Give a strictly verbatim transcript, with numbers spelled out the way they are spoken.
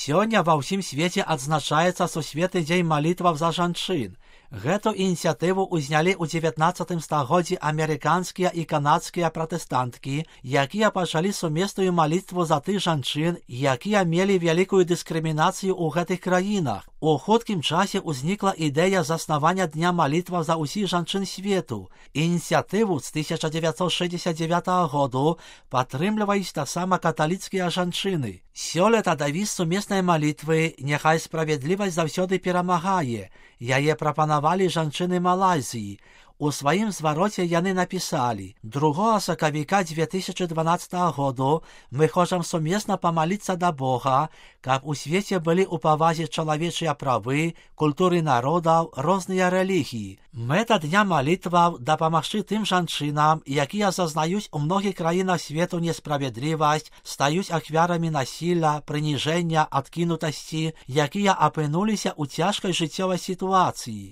Сёння ва ўсім свеце адзначаецца сусветны дзень малітваў за жанчын. Гэту ініцыятыву ўзнялі ў дзевятнаццатым стагоддзі амерыканскія і канадскія пратэстанткі, якія пачалі сумесную малітву за тых жанчын, якія мелі вялікую дыскрымінацыю ў гэтых краінах. У хуткім часе ўзнікла ідэя заснавання дня малітваў за ўсіх жанчын свету. Ініцыятыву з тысяча дзевяцьсот шэсцьдзесят дзевятага году падтрымліваюць таксама каталіцкія жанчыны. Сёлета дэвіз сумеснай малітвы «Няхай справядлівасць заўсёды перамагае». Яе прапанавалі жанчыны Малайзіі. У сваім звароце яны напісалі: другога сакавіка дзве тысячы дванаццатага году мы хочам сумесна памаліцца да Бога, каб у свеце былі ў павазе чалавечыя правы, культуры народаў, розныя рэлігіі. Мэта дня малітваў дапамагчы тым жанчынам, якія зазнаюць у многіх краінах свету несправядлівасць, стаюць ахвярамі насілля, прыніжэння, адкінутасці, якія апынуліся ў цяжкай жыццёвай сітуацыі.